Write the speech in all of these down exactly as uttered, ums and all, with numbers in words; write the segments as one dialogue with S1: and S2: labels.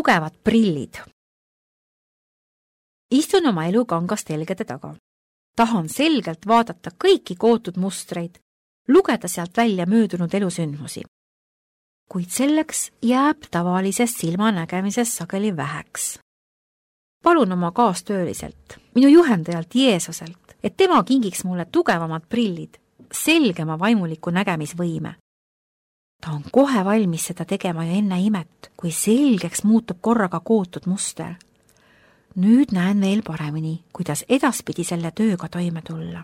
S1: tugevad prillid. Istun oma elukangast telgede taga. Tahan selgelt vaadata kõiki kootud mustreid, lugeda sealt välja möödunud elusündmusi. Kuid selleks jääb tavalisest silmanägemisest sageli väheks. Palun oma kaastööliselt, minu juhendajalt Jeesuselt, et tema kingiks mulle tugevamad prillid, selgema vaimuliku nägemisvõime. Ta on kohe valmis seda tegema ja enne imet, kui selgeks muutub korraga kootud muster. Nüüd näen veel paremini, kuidas edaspidi selle tööga toime tulla,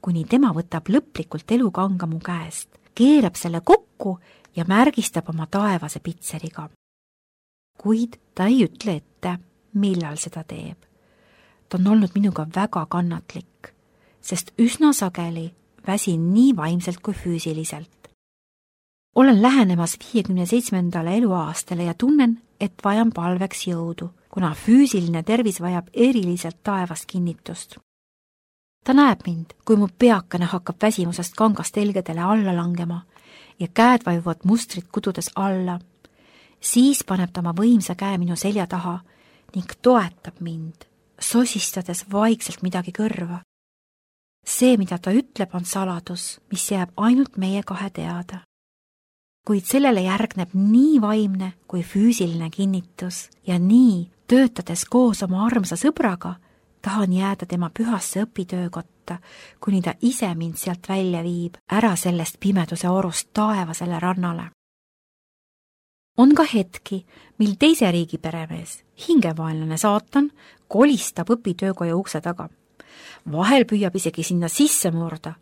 S1: kuni tema võtab lõplikult elukanga mu käest, keerab selle kokku ja märgistab oma taevase pitseriga. Kuid ta ei ütle ette, millal seda teeb. Ta on olnud minuga väga kannatlik, sest üsna sageli väsin nii vaimselt kui füüsiliselt. Olen lähenemas viiekümne seitsmendale eluaastale ja tunnen, et vajan palveks jõudu, kuna füüsiline tervis vajab eriliselt taevast kinnitust. Ta näeb mind, kui mu peakene hakkab väsimusest kangast telgedele alla langema ja käed vajuvad mustrit kududes alla. Siis paneb ta oma võimsa käe minu selja taha ning toetab mind, sosistades vaikselt midagi kõrva. See, mida ta ütleb, on saladus, mis jääb ainult meie kahe teada. Kuid sellele järgneb nii vaimne kui füüsiline kinnitus ja nii, töötades koos oma armsa sõbraga, tahan jääda tema pühasse õpitöökotta, kuni ta ise mind sealt välja viib, ära sellest pimeduse orust taevasele rannale. On ka hetki, mil teise riigi peremees, hingevaenlane saatan, kolistab õpitöökoja ukse taga. Vahel püüab isegi sinna sisse murda,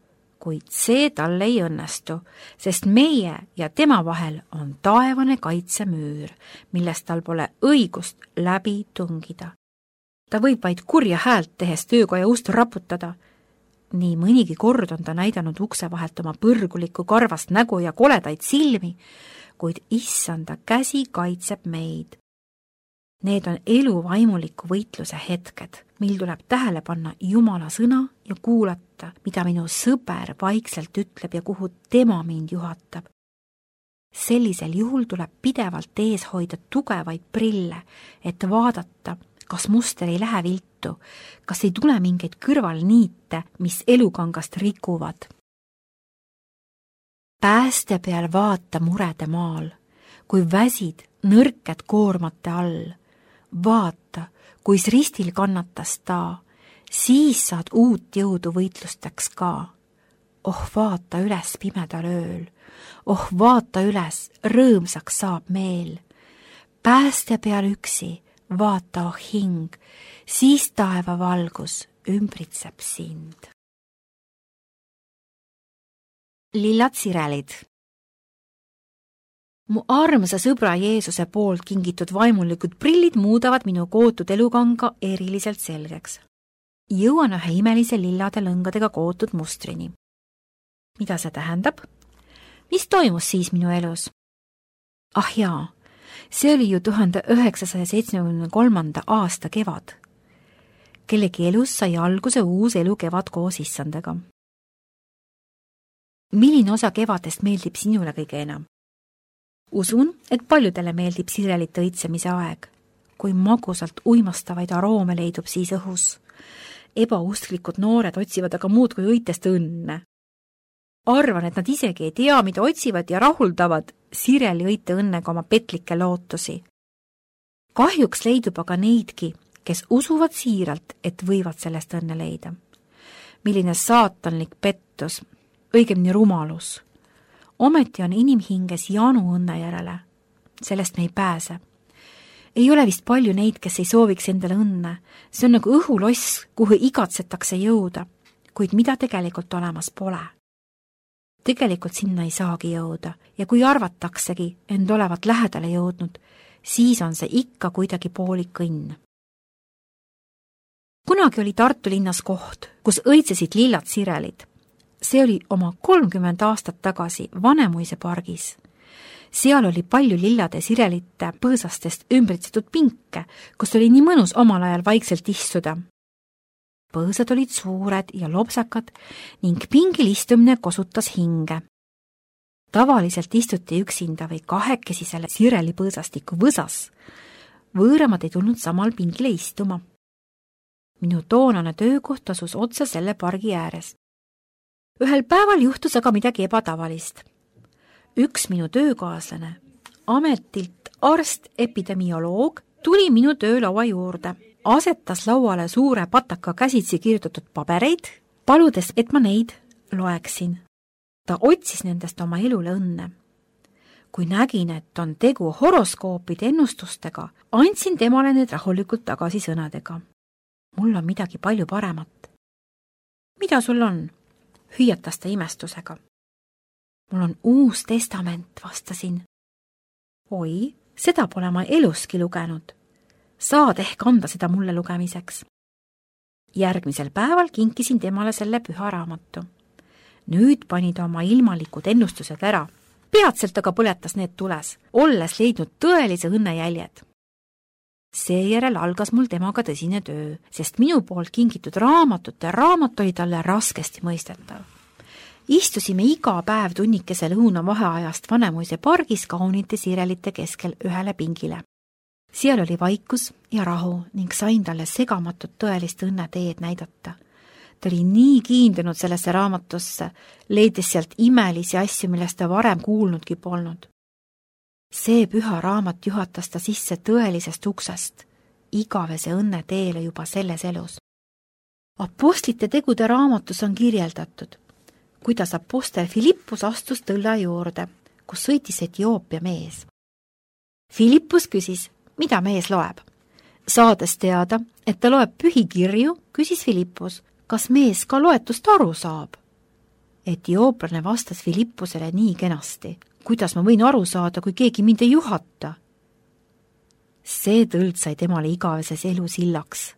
S1: kuid see tal ei õnnestu, sest meie ja tema vahel on taevane kaitsemüür, millest tal pole õigust läbi tungida. Ta võib vaid kurja häält tehes töökoja ust raputada. Nii mõnigi kord on ta näidanud ukse vahelt oma põrgulikku karvast nägu ja koledaid silmi, kuid issanda käsi kaitseb meid. Need on elu vaimuliku võitluse hetked, mil tuleb tähele panna Jumala sõna ja kuulata, mida minu sõber vaikselt ütleb ja kuhu tema mind juhatab. Sellisel juhul tuleb pidevalt ees hoida tugevaid prille, et vaadata, kas muster ei lähe viltu, kas ei tule mingeid kõrvalniite, mis elukangast rikuvad. Pääste peal vaata murede maal, kui väsid nõrked koormate all. Vaata, kuis ristil kannatas ta, siis saad uut jõudu võitlusteks ka. Oh, vaata üles pimedal ööl, oh, vaata üles, rõõmsaks saab meel. Pääste peal üksi, vaata, oh hing, siis taeva valgus ümbritseb sind. Lillad sirelid. Mu armsa sõbra Jeesuse poolt kingitud vaimulikud prillid muudavad minu kootud elukanga eriliselt selgeks. Jõuan ühe imelise lillade lõngadega kootud mustrini. Mida see tähendab? Mis toimus siis minu elus? Ah jaa, see oli ju tuhande üheksasaja seitsmekümne kolmanda aasta kevad. Kellegi elus sai alguse uus elu kevad koos issandega. Milline osa kevadest meeldib sinule kõige enam? Usun, et paljudele meeldib sirelite õitsemise aeg, kui magusalt uimastavaid aroome leidub siis õhus. Ebausklikud noored otsivad aga muud kui õitest õnne. Arvan, et nad isegi ei tea, mida otsivad ja rahuldavad sireli õite õnnega oma petlikke lootusi. Kahjuks leidub aga neidki, kes usuvad siiralt, et võivad sellest õnne leida. Milline saatanlik pettus, õigemini rumalus. Ometi on inimhinges janu õnne järele. Sellest me ei pääse. Ei ole vist palju neid, kes ei sooviks endale õnne. See on nagu õhuloss, kuhu igatsetakse jõuda, kuid mida tegelikult olemas pole. Tegelikult sinna ei saagi jõuda ja kui arvataksegi end olevat lähedale jõudnud, siis on see ikka kuidagi poolik õnn. Kunagi oli Tartu linnas koht, kus õitsesid lillad sirelid. See oli oma kolmkümmend aastat tagasi Vanemuise pargis. Seal oli palju lillade sirelite põõsastest ümbritsetud pinke, kus oli nii mõnus omal ajal vaikselt istuda. Põõsad olid suured ja lopsakad ning pingil istumine kosutas hinge. Tavaliselt istuti üksinda või kahekesi selle sireli põõsastiku võsas. võõramad ei tulnud samal pingile istuma. Minu toonane töökoht asus otsa selle pargi ääres. Ühel päeval juhtus aga midagi ebatavalist. Üks minu töökaaslane, ametilt arst epidemioloog, tuli minu töölaua juurde, asetas lauale suure pataka käsitsi kirjutatud pabereid, paludes, et ma neid loeksin. Ta otsis nendest oma elule õnne. Kui nägin, et on tegu horoskoopide ennustustega, andsin temale need rahulikult tagasi sõnadega. Mul on midagi palju paremat. Mida sul on? Hüüatas ta imestusega. Mul on uus testament, vastasin. Oi, seda pole ma eluski lugenud. Saad ehk anda seda mulle lugemiseks. Järgmisel päeval kinkisin temale selle püha raamatu. Nüüd pani ta oma ilmalikud ennustused ära. Peatselt aga põletas need tules, olles leidnud tõelise õnnejäljed. Seejärel algas mul temaga tõsine töö, sest minu poolt kingitud raamatute raamat oli talle raskesti mõistetav. Istusime iga päev tunnikese lõuna vaheajast Vanemuise pargis kaunite siirelite keskel ühele pingile. Seal oli vaikus ja rahu ning sain talle segamatut tõelist õnneteed näidata. Ta oli nii kiindunud sellesse raamatusse, leides sealt imelisi asju, millest ta varem kuulnudki polnud. See püha raamat juhatas ta sisse tõelisest uksest, igavese õnne teele juba selles elus. Apostlite tegude raamatus on kirjeldatud, kuidas apostel Filippus astus tõlla juurde, kus sõitis Etioopia mees. Filippus küsis, mida mees loeb. Saades teada, et ta loeb pühikirju, küsis Filippus, kas mees ka loetust aru saab? Etiooplane vastas Filippusele nii kenasti. Kuidas ma võin aru saada, kui keegi mind ei juhata? See tõld sai temale igaveses elu sillaks.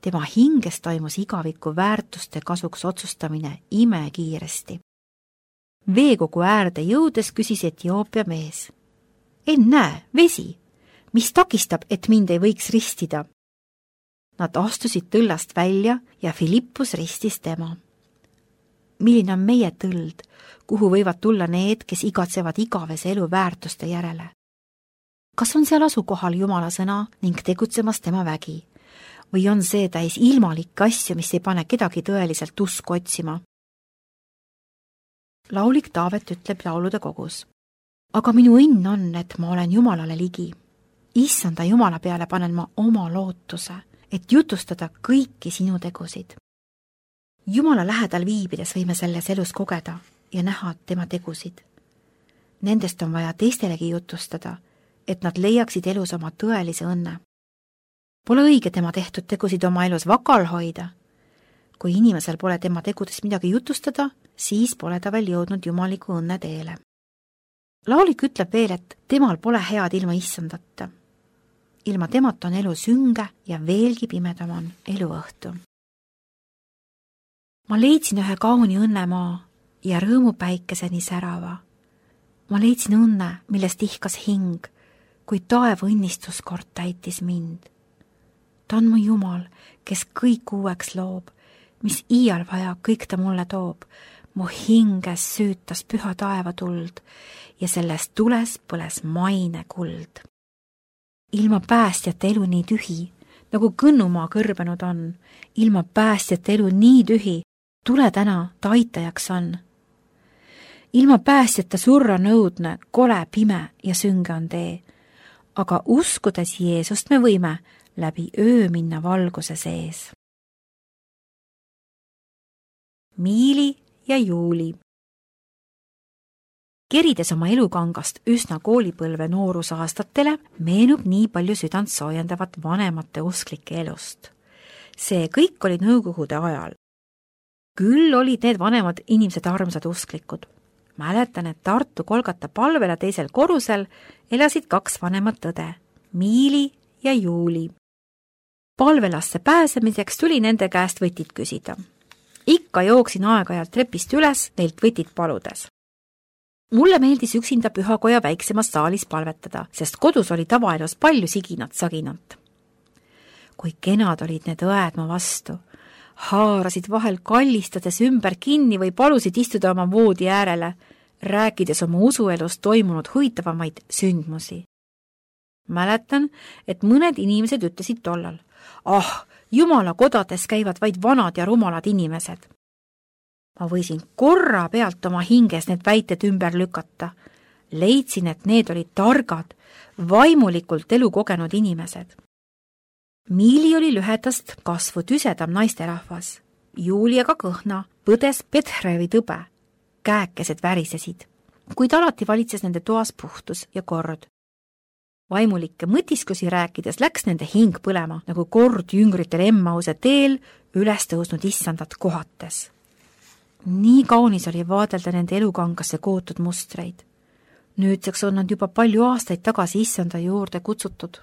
S1: Tema hinges toimus igaviku väärtuste kasuks otsustamine ime kiiresti. Veekogu äärde jõudes küsis Etioopia mees. Ennäe, vesi, mis takistab, et mind ei võiks ristida? Nad astusid tõllast välja ja Filippus ristis tema. Milline on meie tõld, kuhu võivad tulla need, kes igatsevad igavese elu väärtuste järele? Kas on seal asukohal Jumala sõna ning tegutsemas tema vägi? Või on see täis ilmalikke asju, mis ei pane kedagi tõeliselt usku otsima? Laulik Taavet ütleb laulude kogus. Aga minu õnn on, et ma olen Jumalale ligi. Issanda Jumala peale panen ma oma lootuse, et jutustada kõiki sinu tegusid. Jumala lähedal viibides võime selles elus kogeda ja näha tema tegusid. Nendest on vaja teistelegi jutustada, et nad leiaksid elus oma tõelise õnne. Pole õige tema tehtud tegusid oma elus vakal hoida. Kui inimesel pole tema tegudest midagi jutustada, siis pole ta veel jõudnud jumaliku õnne teele. Laulik ütleb veel, et temal pole head ilma issandata. Ilma temata on elu sünge ja veelgi pimedam on elu õhtu. Ma leidsin ühe kauni õnnemaa ja rõõmu päikeseni särava. Ma leidsin õnne, millest ihkas hing, kui taeva õnnistus kord täitis mind. Ta on mu Jumal, kes kõik uueks loob, mis iial vaja, kõik ta mulle toob. Mu hinges süütas püha taeva tuld ja sellest tules põles maine kuld. Ilma päästjate elu nii tühi, nagu kõnnumaa kõrbenud on, ilma päästjate elu nii tühi, tule täna, ta aitajaks on. Ilma päästjate surra nõudne, kole, pime ja sünge on tee, aga uskudes Jeesust me võime läbi öö minna valguse sees. Miili ja Juuli. Kerides oma elukangast üsna koolipõlve noorusaastatele, meenub nii palju südant soojendavat vanemate usklike elust. See kõik oli nõukogude ajal. Küll olid need vanemad inimesed armsad usklikud. Mäletan, et Tartu Kolgata palvele teisel korrusel elasid kaks vanemat õde, Miili ja Juuli. Palvelasse pääsemiseks tuli nende käest võtit küsida. Ikka jooksin aeg-ajalt trepist üles, neilt võtit paludes. Mulle meeldis üksinda pühakoja väiksemas saalis palvetada, sest kodus oli tavaelus palju siginat-saginat. Kui kenad olid need õed mu vastu, haarasid vahel kallistades ümber kinni või palusid istuda oma voodi äärele, rääkides oma usuelust toimunud huvitavamaid sündmusi. Mäletan, et mõned inimesed ütlesid tollal, ah, jumala kodades käivad vaid vanad ja rumalad inimesed. Ma võisin korra pealt oma hinges need väited ümber lükata. Leidsin, et need olid targad, vaimulikult elukogenud inimesed. Miili oli lühetast kasvu tüsedam naisterahvas. Juliaga kõhna põdes Petrevi tõbe. Käekesed värisesid, kuid alati valitses nende toas puhtus ja kord. Vaimulikke mõtiskusi rääkides läks nende hing põlema, nagu kord jüngritel Emmause teel üles tõusnud issandat kohates. Nii kaunis oli vaadelda nende elukangasse kootud mustreid. Nüüdseks on nad juba palju aastaid tagasi issanda juurde kutsutud.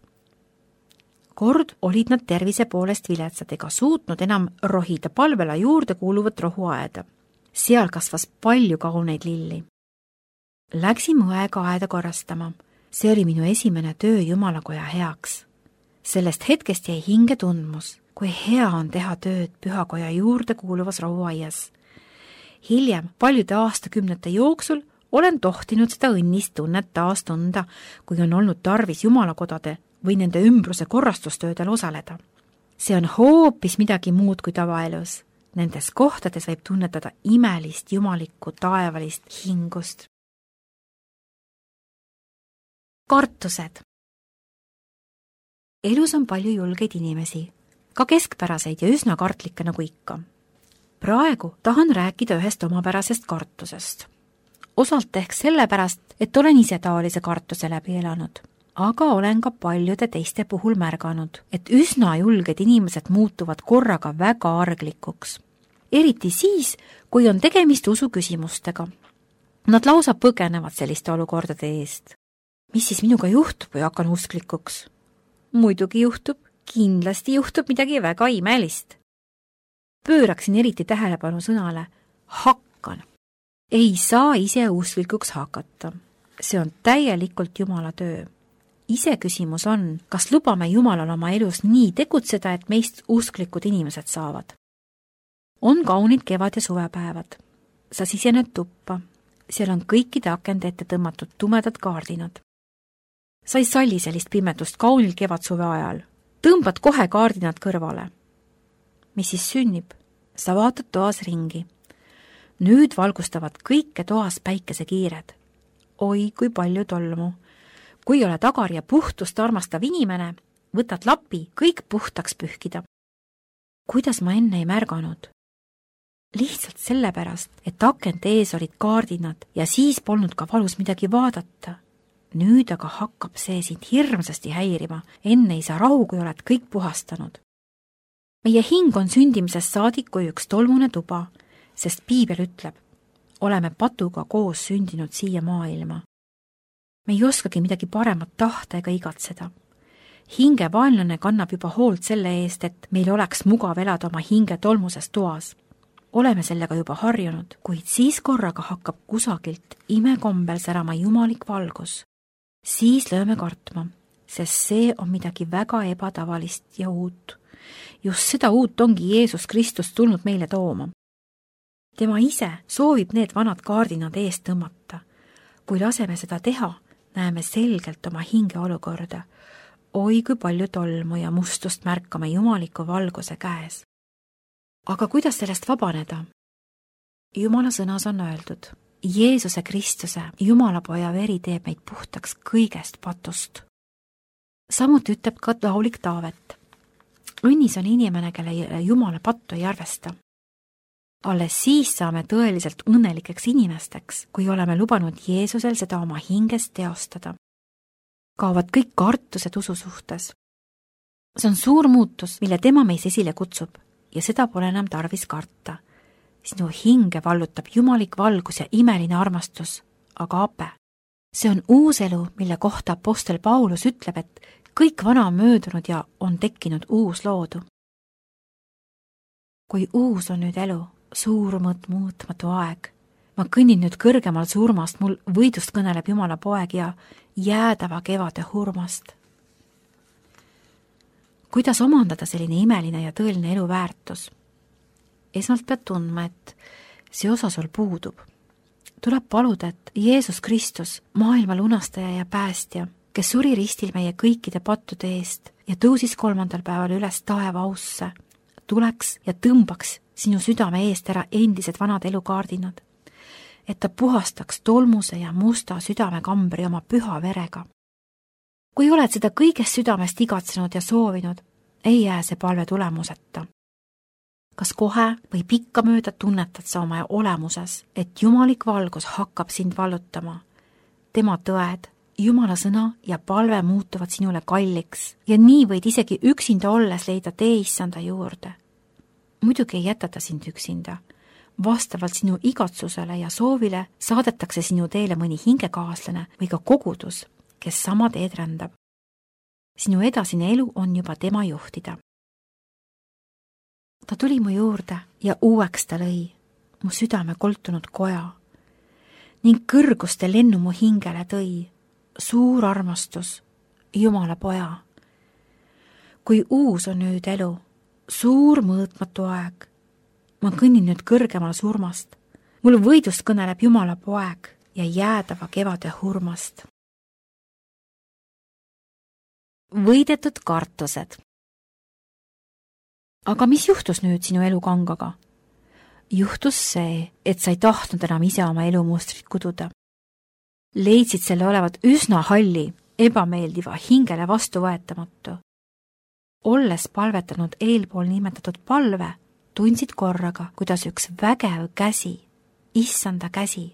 S1: Kord olid nad tervise poolest viletsad ega suutnud enam rohida palvela juurde kuuluvat rohuaeda. Seal kasvas palju kauneid lilli. Läksin õega aeda korrastama. See oli minu esimene töö jumalakoja heaks. Sellest hetkest jäi hinge tundmus, kui hea on teha tööd pühakoja juurde kuuluvas rohuaias. Hiljem, paljude aastakümnete jooksul, olen tohtinud seda õnnist tunnet taas tunda, kui on olnud tarvis jumalakodade või nende ümbruse korrastustöödel osaleda. See on hoopis midagi muud kui tavaelus. Nendes kohtades võib tunnetada imelist jumalikku taevalist hingust. Kartused. Elus on palju julgeid inimesi, ka keskpäraseid ja üsna kartlikke nagu ikka. Praegu tahan rääkida ühest omapärasest kartusest. Osalt ehk sellepärast, et olen ise taolise kartuse läbi elanud, aga olen ka paljude teiste puhul märganud, et üsna julged inimesed muutuvad korraga väga arglikuks. Eriti siis, kui on tegemist usu küsimustega. Nad lausa põgenevad selliste olukordade eest. Mis siis minuga juhtub, kui hakkan usklikuks? Muidugi juhtub, kindlasti juhtub midagi väga imelist. Pööraksin eriti tähelepanu sõnale hakkan. Ei saa ise usklikuks hakata. See on täielikult Jumala töö. Ise küsimus on, kas lubame Jumalal oma elus nii tegutseda, et meist usklikud inimesed saavad. On kaunid kevad- ja suvepäevad. Sa sisened tuppa. Seal on kõikide akende ette tõmmatud tumedad kaardinad. Sa ei salli sellist pimetust kaunil kevad-suve ajal. Tõmbad kohe kaardinad kõrvale. Mis siis sünnib? Sa vaatad toas ringi. Nüüd valgustavad kõike toas päikesekiired. Oi, kui palju tolmu. Kui ole tagar ja puhtust armastav inimene, võtad lapi kõik puhtaks pühkida. Kuidas ma enne ei märganud? Lihtsalt sellepärast, et akent ees olid kaardinad ja siis polnud ka valus midagi vaadata. Nüüd aga hakkab see sind hirmsasti häirima, enne ei saa rahu, kui oled kõik puhastanud. Meie hing on sündimisest saadik kui üks tolmune tuba, sest piibel ütleb, oleme patuga koos sündinud siia maailma. Me ei oskagi midagi paremat tahta ega igatseda. Hinge vaenlane kannab juba hoolt selle eest, et meil oleks mugav elada oma hinge tolmuses toas. Oleme sellega juba harjunud, kuid siis korraga hakkab kusagilt imekombel särama jumalik valgus. Siis lööme kartma, sest see on midagi väga ebatavalist ja uut. Just seda uut ongi Jeesus Kristus tulnud meile tooma. Tema ise soovib need vanad kaardinad eest tõmmata. Kui laseme seda teha, näeme selgelt oma hinge olukorda. Oi, kui palju tolmu ja mustust märkame jumaliku valguse käes. Aga kuidas sellest vabaneda? Jumala sõnas on öeldud, Jeesuse Kristuse, Jumala poja veri teeb meid puhtaks kõigest patust. Samuti ütleb ka laulik Taavet. Õnnis on inimene, kelle Jumala pattu ei arvesta. Alles siis saame tõeliselt õnnelikeks inimesteks, kui oleme lubanud Jeesusel seda oma hinges teostada. Kaovad kõik kartused usu suhtes. See on suur muutus, mille tema meis esile kutsub ja seda pole enam tarvis karta. Sinu hinge vallutab jumalik valgus ja imeline armastus, aga ape. See on uus elu, mille kohta apostel Paulus ütleb, et kõik vana on möödunud ja on tekkinud uus loodu. Kui uus on nüüd elu, suurmõt muutmatu aeg. Ma kõnnin nüüd kõrgemal surmast, mul võidust kõneleb Jumala poeg ja jäädava kevade hurmast. Kuidas omandada selline imeline ja tõeline elu väärtus? Esmalt pead tundma, et see osa sul puudub. Tuleb paluda, et Jeesus Kristus, maailma lunastaja ja päästja, kes suri ristil meie kõikide pattude eest ja tõusis kolmandal päeval üles taeva ausse, tuleks ja tõmbaks sinu südame eest ära endised vanad elukaardinad, et ta puhastaks tolmuse ja musta südamekambri oma püha verega. Kui oled seda kõigest südamest igatsenud ja soovinud, ei jää see palve tulemuseta. Kas kohe või pikkamööda tunnetad sa oma olemuses, et jumalik valgus hakkab sind vallutama? Tema tõed, Jumala sõna ja palve muutuvad sinule kalliks ja nii võid isegi üksinda olles leida tee issanda juurde. Muidugi ei jäta ta sind üksinda. Vastavalt sinu igatsusele ja soovile saadetakse sinu teele mõni hingekaaslane või ka kogudus, kes sama teed rändab. Sinu edasine elu on juba tema juhtida. Ta tuli mu juurde ja uueks ta lõi, mu südame koltunud koja, ning kõrguste lennu mu hingele tõi, suur armastus, Jumala poja. Kui uus on nüüd elu, suur mõõtmatu aeg, ma kõnnin nüüd kõrgemal surmast, mul võidust kõneleb Jumala poeg ja jäädava kevade hurmast. Võidetud kartused. Aga mis juhtus nüüd sinu elukangaga? Juhtus see, et sa ei tahtnud enam ise oma elumustrit kududa. Leidsid selle olevat üsna halli, ebameeldiva, hingele vastuvõetamatu. Olles palvetanud eelpool nimetatud palve, tundsid korraga, kuidas üks vägev käsi, issanda käsi,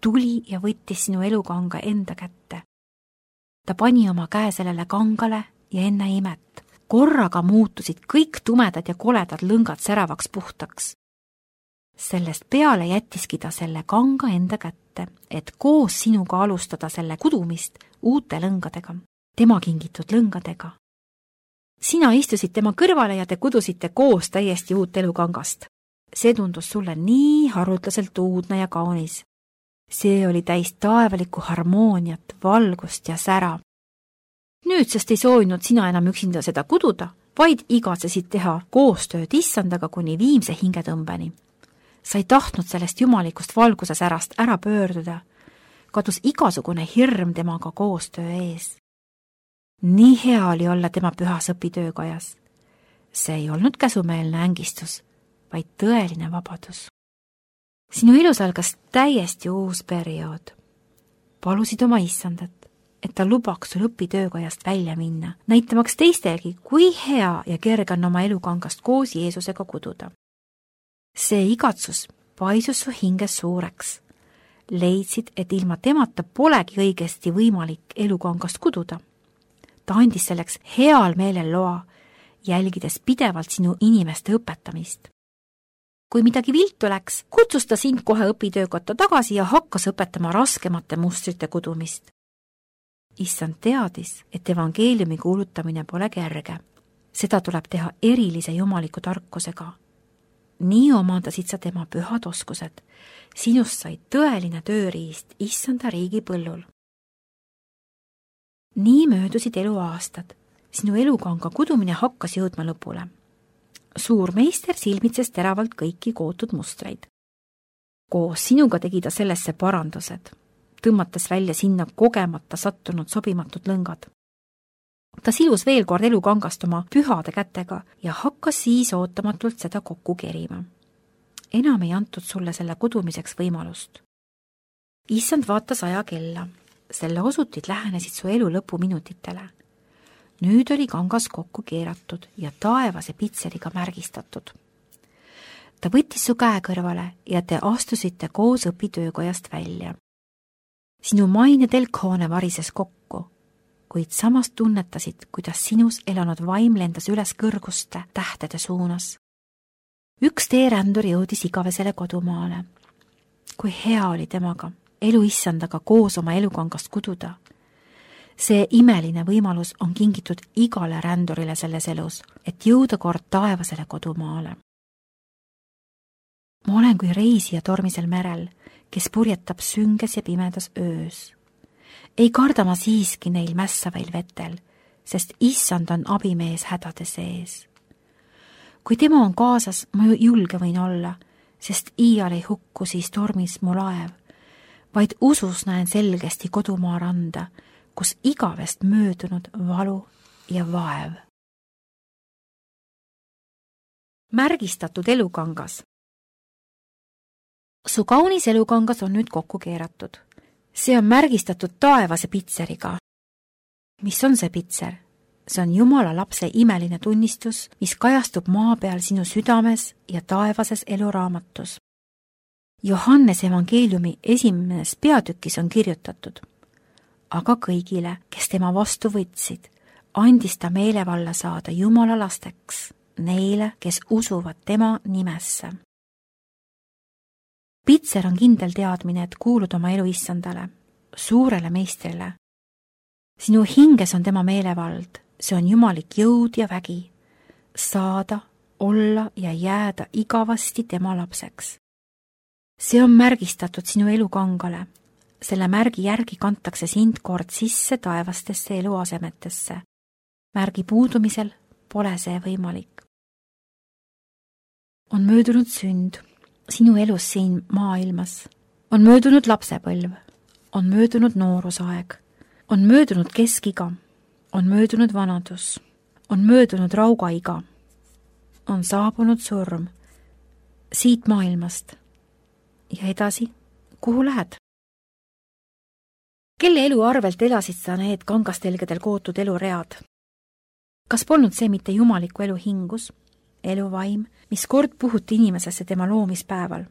S1: tuli ja võttis sinu elukanga enda kätte. Ta pani oma käe sellele kangale ja enne imet. Korraga muutusid kõik tumedad ja koledad lõngad säravaks puhtaks. Sellest peale jättiski ta selle kanga enda kätte, et koos sinuga alustada selle kudumist uute lõngadega, tema kingitud lõngadega. Sina istusid tema kõrvale ja te kudusite koos täiesti uut elukangast. See tundus sulle nii haruldaselt uudne ja kaunis. See oli täis taevalikku harmooniat, valgust ja sära. Nüüdsest ei soovinud sina enam üksinda seda kududa, vaid igatsesid teha koostööd issandaga kuni viimse hingetõmbeni. Sa ei tahtnud sellest jumalikust valguse särast ära pöörduda, kadus igasugune hirm temaga koostöö ees. Nii hea oli olla tema pühas õpitöökojas. See ei olnud käsumeelne ängistus, vaid tõeline vabadus. Sinu elus algas täiesti uus periood. Palusid oma issandat, et ta lubaks sul õpitöökojast välja minna, näitamaks teistelgi, kui hea ja kerge on oma elukangast koos Jeesusega kududa. See igatsus paisus su hinges suureks. Leidsid, et ilma temata polegi õigesti võimalik elukangast kududa. Ta andis selleks heal meelel loa, jälgides pidevalt sinu inimeste õpetamist. Kui midagi viltu läks, kutsus ta sind kohe õpitöökotta tagasi ja hakkas õpetama raskemate mustrite kudumist. Issand teadis, et evangeeliumi kuulutamine pole kerge. Seda tuleb teha erilise jumaliku tarkusega. Nii omandasid sa tema pühad oskused. Sinust sai tõeline tööriist issanda riigi põllul. Nii möödusid eluaastad. Sinu elukanga kudumine hakkas jõudma lõpule. Suur meister silmitses teravalt kõiki kootud mustreid. Koos sinuga tegi ta sellesse parandused, tõmmates välja sinna kogemata sattunud sobimatud lõngad. Ta silus veel kord elukangast oma pühade kätega ja hakkas siis ootamatult seda kokku kerima. Enam ei antud sulle selle kudumiseks võimalust. Issand vaatas aja kella. Selle osutid lähenesid su elu lõpuminutitele. Nüüd oli kangas kokku keeratud ja taevase pitseriga märgistatud. Ta võttis su käe kõrvale ja te astusite koos õpitöökojast välja. Sinu maine telkhoone varises kokku, kuid samas tunnetasid, kuidas sinus elanud vaim lendas üles kõrguste tähtede suunas. Üks teerändur jõudis igavesele kodumaale. Kui hea oli temaga, elu issandaga koos oma elukangast kududa. See imeline võimalus on kingitud igale rändurile selles elus, et jõuda kord taevasele kodumaale. Ma olen kui reisija tormisel merel, kes purjetab sünges ja pimedas öös. Ei karda ma siiski neil mässavail vetel, sest issand on abimees hädade sees. Kui tema on kaasas, ma julge võin olla, sest iial ei hukku siis tormis mu laev, vaid usus näen selgesti kodumaa randa, kus igavest möödunud valu ja vaev. Märgistatud elukangas. Su kaunis elukangas on nüüd kokku keeratud. See on märgistatud taevase pitseriga. Mis on see pitser? See on Jumala lapse imeline tunnistus, mis kajastub maa peal sinu südames ja taevases eluraamatus. Johannes evangeeliumi esimeses peatükis on kirjutatud: aga kõigile, kes tema vastu võtsid, andis ta meelevalla saada Jumala lasteks, neile, kes usuvad tema nimesse. Pitser on kindel teadmine, et kuulud oma elu issandale, suurele meistrile. Sinu hinges on tema meelevald, see on jumalik jõud ja vägi, saada, olla ja jääda igavasti tema lapseks. See on märgistatud sinu elukangale. Selle märgi järgi kantakse sind kord sisse taevastesse eluasemetesse. Märgi puudumisel pole see võimalik. On möödunud sünd sinu elus siin maailmas. On möödunud lapsepõlv. On möödunud noorusaeg. On möödunud keskiga. On möödunud vanadus. On möödunud raugaiga. On saabunud surm siit maailmast. Ja edasi, kuhu lähed? Kelle elu arvelt elasid sa need kangastelgedel kootud eluread? Kas polnud see mitte jumaliku elu hingus, eluvaim, mis kord puhuti inimesesse tema loomispäeval?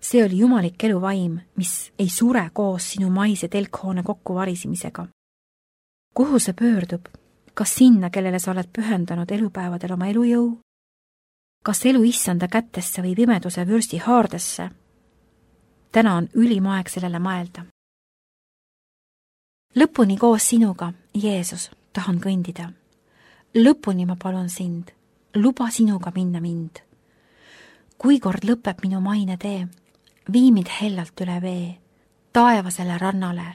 S1: See oli jumalik eluvaim, mis ei sure koos sinu maise telkhoone kokkuvarisemisega. Kuhu see pöördub? Kas sinna, kellele sa oled pühendanud elupäevadel oma elujõu? Kas elu issanda kättesse või pimeduse vürsti haardesse? Täna on ülim aeg sellele mõelda. Lõpuni koos sinuga, Jeesus, tahan kõndida. Lõpuni ma palun sind, luba sinuga minna mind. Kui kord lõpeb minu maine tee, vii mind hellalt üle vee, taevasele rannale,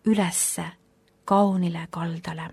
S1: ülesse, kaunile kaldale.